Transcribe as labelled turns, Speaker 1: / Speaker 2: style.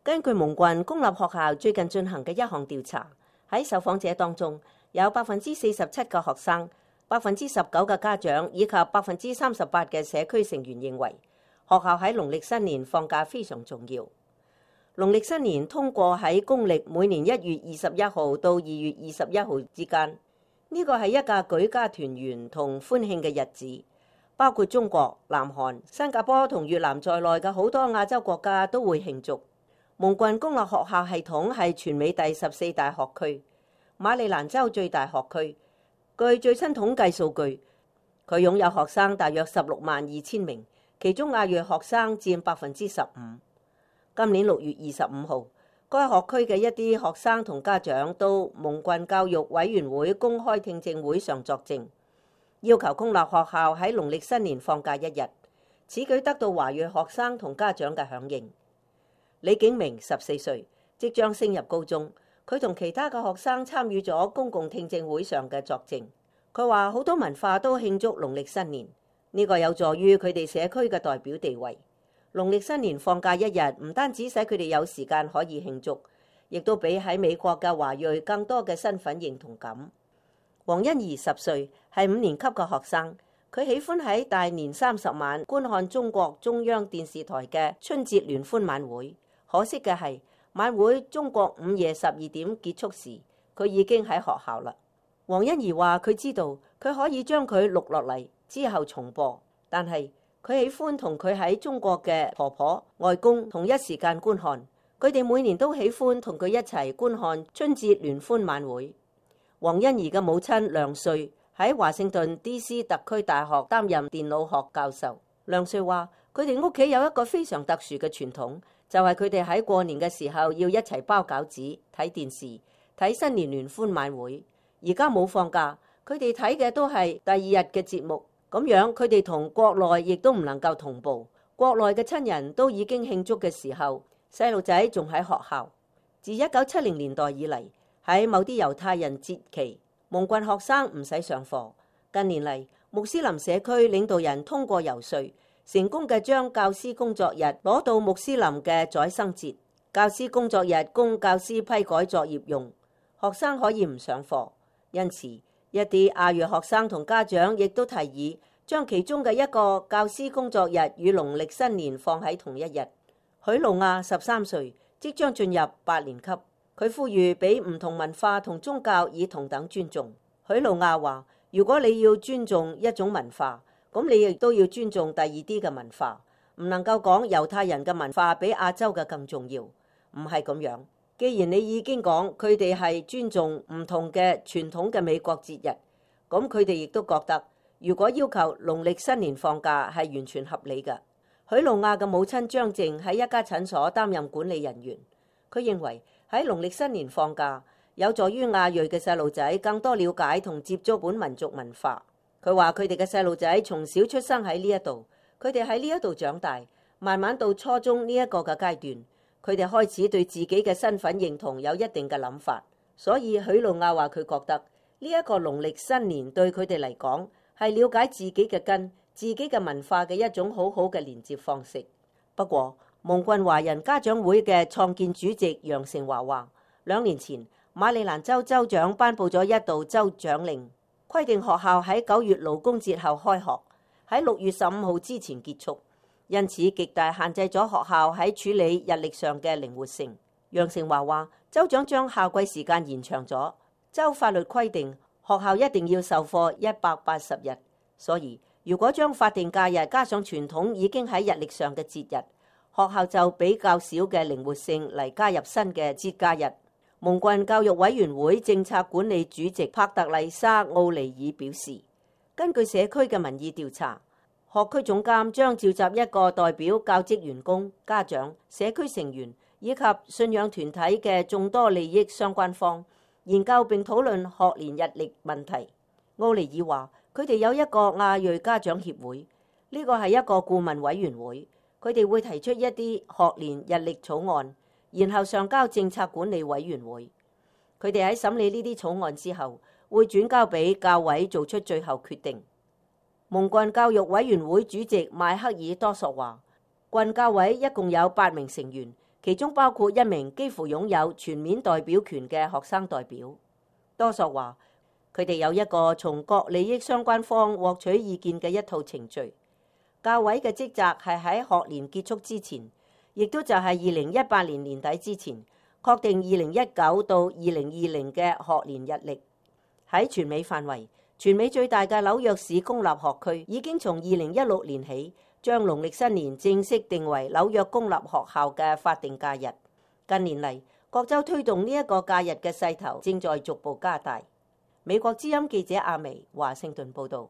Speaker 1: 根據蒙郡公立學校最近進行嘅一項調查，喺受訪者當中有47%嘅學生、19%嘅家長以及38%嘅社區成員認為學校喺農曆新年放假非常重要。農曆新年通過喺公歷每年1月21號到2月21號之間，呢個係一個舉家團圓同歡慶嘅日子，包括中國、南韓、新加坡同越南在內嘅好多亞洲國家都會慶祝。蒙郡公立學校系統係全美第14大學區，馬里蘭州最大學區。據最新統計數據，佢擁有學生大約162000名，其中亞裔學生佔15%。今年6月25號，該學區嘅一啲學生同家長到蒙郡教育委員會公開聽證會上作證，要求公立學校喺農曆新年放假1日。此舉得到華裔學生同家長嘅響應。李景明14歲，即將升入高中。佢同其他嘅學生參與咗公共聽證會上嘅作證。佢話好多文化都慶祝農曆新年，呢個有助於佢哋社區嘅代表地位。農曆新年放假1日，唔單止使佢哋有時間可以慶祝，亦都比喺美國嘅華裔更多嘅身份認同感。黃欣怡10歲，係5年級嘅學生。佢喜歡喺大年30晚觀看中國中央電視台嘅春節聯歡晚會。可惜嘅係，晚會中國午夜12點結束時，佢已經喺學校啦。黃欣怡話佢知道佢可以將佢錄落嚟之後重播，但係佢喜歡同佢喺中國嘅婆婆、外公同一時間觀看。佢哋每年都喜歡同佢一齊觀看春節聯歡晚會。黃欣怡嘅母親梁瑞喺華盛頓 DC 特區大學擔任電腦學教授。梁瑞話佢哋屋企有一個非常特殊嘅傳統，就係佢哋喺過年嘅時候要一齊包餃子、睇電視、睇新年聯歡晚會。而家冇放假，佢哋睇嘅都係第2日嘅節目，咁樣佢哋同國內亦都唔能夠同步。國內嘅親人都已經慶祝嘅時候，細路仔仲喺學校。自1970年代以嚟，喺某啲猶太人節期，蒙郡學生唔使上課。近年嚟，穆斯林社區領導人通過遊說，成功嘅將教師工作日攞到穆斯林嘅宰牲節。教師工作日供教師批改作業用，學生可以唔上課。因此，一啲亞裔學生同家長亦都提議將其中嘅一個教師工作日與農曆新年放喺同一日。許露亞13歲，即將進入8年級。佢呼籲俾唔同文化同宗教以同等尊重。許露亞話：如果你要尊重一種文化，咁你亦都要尊重第二啲嘅文化，唔能夠講猶太人嘅文化比亞洲嘅更重要，唔係咁樣。既然你已經講佢哋係尊重唔同嘅傳統嘅美國節日，咁佢哋亦都覺得，如果要求農曆新年放假係完全合理嘅。許露亞嘅母親張靜喺一家診所擔任管理人員，佢認為喺農曆新年放假有助於亞裔嘅細路仔更多了解同接觸本民族文化。佢話佢哋嘅細路仔從小出生喺呢一度，佢哋喺呢一度長大，慢慢到初中呢一個嘅階段，佢哋開始對自己嘅身份認同有一定嘅諗法。所以許露亞話佢覺得呢一個農曆新年對佢哋嚟講係了解自己嘅根、自己嘅文化嘅一種好好嘅連接方式。不過蒙郡華人家長會嘅創建主席楊成華話，2年前馬里蘭州州長頒布咗一道州長令，規定學校喺9月勞工節後開學，喺6月15號之前結束，因此極大限制咗學校喺處理日曆上嘅靈活性。楊成華話，州長將校季時間延長咗，州法律規定學校一定要授課180日，所以如果將法定假日加上傳統已經喺日曆上嘅節日，學校就比較少嘅靈活性嚟加入新嘅節假日。蒙郡教育委員會政策管理主席帕特麗莎·奧尼爾表示，根據社區嘅民意調查，學區總監將召集一個代表教職員工、家長、社區成員以及信仰團體嘅眾多利益相關方，研究並討論學年日曆問題。奧尼爾話，佢哋有一個亞裔家長協會，呢個係一個顧問委員會，佢哋會提出一啲學年日曆草案，然後上交政策管理委員會。佢哋喺審理呢啲草案之後，會轉交俾教委做出最後決定。蒙郡教育委員會主席邁克爾多索話，郡教委一共有8名成員，其中包括一名幾乎擁有全面代表權嘅學生代表。多索話，佢哋有一個從各利益相關方獲取意見嘅一套程序。教委嘅職責係喺學年結束之前，亦都就係2018年年底之前，確定2019到2020嘅學年日曆。喺全美範圍，全美最大嘅紐約市公立學區已經從2016年起，將農曆新年正式定為紐約公立學校嘅法定假日。近年嚟，各州推動呢一個假日嘅勢頭正在逐步加大。美國之音記者阿薇華盛頓報導。